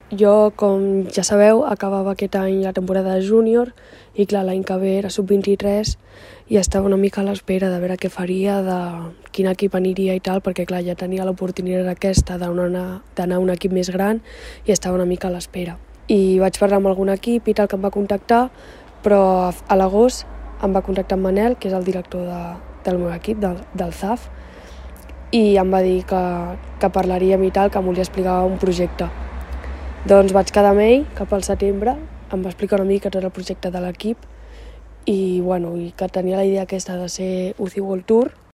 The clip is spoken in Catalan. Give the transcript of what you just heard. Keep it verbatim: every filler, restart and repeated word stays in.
Jo, com ja sabeu, acabava aquest any la temporada de júnior i clar, l'any que ve era sub vint-i-tres i estava una mica a l'espera de veure què faria, de quin equip aniria i tal, perquè clar, ja tenia l'oportunitat aquesta d'anar a un equip més gran i estava una mica a l'espera. I vaig parlar amb algun equip i tal que em va contactar, però a l'agost em va contactar en Manel, que és el director de, del meu equip, del, del Z A F, i em va dir que, que parlaríem i tal, que em volia explicar un projecte. Doncs vaig quedar amb ell cap al setembre, em va explicar una mica tot el projecte de l'equip i, bueno, i que tenia la idea aquesta de ser U C I World Tour